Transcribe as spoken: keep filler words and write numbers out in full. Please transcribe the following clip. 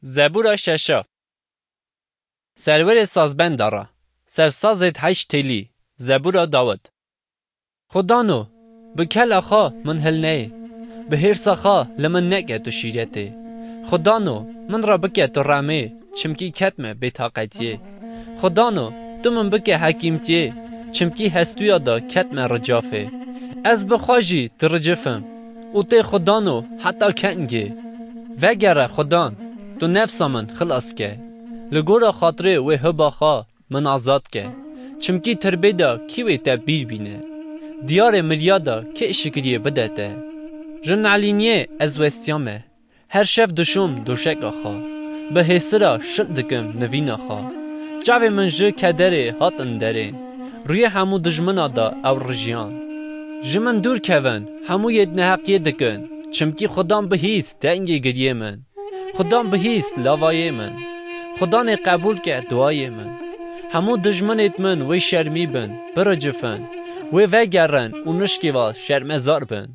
Zebûra şeşa. Serwerê sazbenda re. Sersazêd heşt têlî. Zebûra Dawid. Xwedano, bi kela xwe min hilneyê, bi hêrsa xwe li min neke tu şîretê. Xwedano, min re bike tu remê, çimkî ketme bêtaqetiyê. Xwedano, tu min bike hekîmtiyê, çimkî hestûya de ketme ricafê. Ez bi xwe jî diricifim û tê Xwedano heta kengê. Vegere Xwedan, tu nefsa min xilas ke. Li gora xatirê wê hiba xwe min azad ke. Çimkî tirbê de kî wê te bîr bîne? Diyarê miliya de kê şikiriyê bide te? Ji nalîniyê ez westiyame. Her şev dişom doşeka xwe. Bi hêsira şil dikim nivîna xwe. Çavê min ji kederê hatin derên. Rûyê hemû dijmina de ew rijiyan. Ji min dûr kevin, hemû yêd neheqiyê dikin. Çimkî Xudan bihîst dengê giriyê min. Xudan bihîst lavayê min. Xudanê qebûl ke duayê min. Hemû dijminêd min wê şermî bin, biricifin. Wê vegerin û nişkê ve şermezar bin.